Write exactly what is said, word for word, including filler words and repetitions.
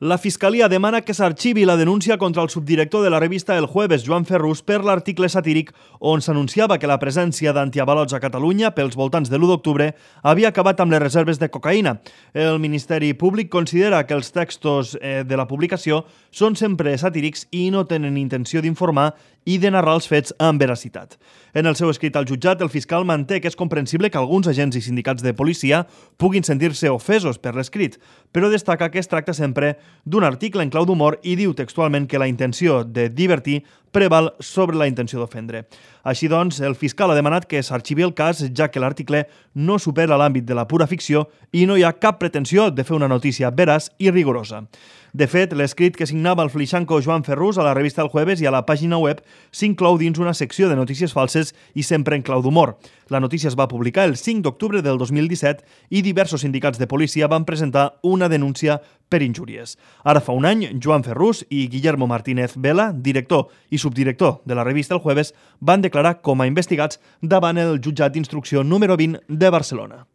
La Fiscalia demana que s'arxivi la denúncia contra el subdirector de la revista El Jueves, Joan Ferrús, per l'article satíric on s'anunciava que la presència d'antiavalots a Catalunya pels voltants de l'u d'octubre havia acabat amb les reserves de cocaïna. El Ministeri Públic considera que els textos de la publicació són sempre satírics i no tenen intenció d'informar i de narrar els fets amb veracitat. En el seu escrit al jutjat, el fiscal manté que és comprensible que alguns agents i sindicats de policia puguin sentir-se ofesos per l'escrit, però destaca que es tracta sempre d'un article en clau d'humor i diu textualment que la intenció de divertir preval sobre la intenció d'ofendre. Així doncs, el fiscal ha demanat que s'arxivi el cas, ja que l'article no supera l'àmbit de la pura ficció i no hi ha cap pretensió de fer una notícia veraç i rigorosa. De fet, l'escrit que signava el flixanco Joan Ferrús a la revista El Jueves i a la pàgina web s'inclou dins una secció de notícies falses i sempre en clau d'humor. La notícia es va publicar el cinc d'octubre del dos mil disset i diversos sindicats de policia van presentar una denúncia per injúries. Ara fa un any, Joan Ferrús i Guillermo Martínez Vela, director i subdirector de la revista El Jueves, van declarar com a investigats davant el jutjat d'instrucció número vint de Barcelona.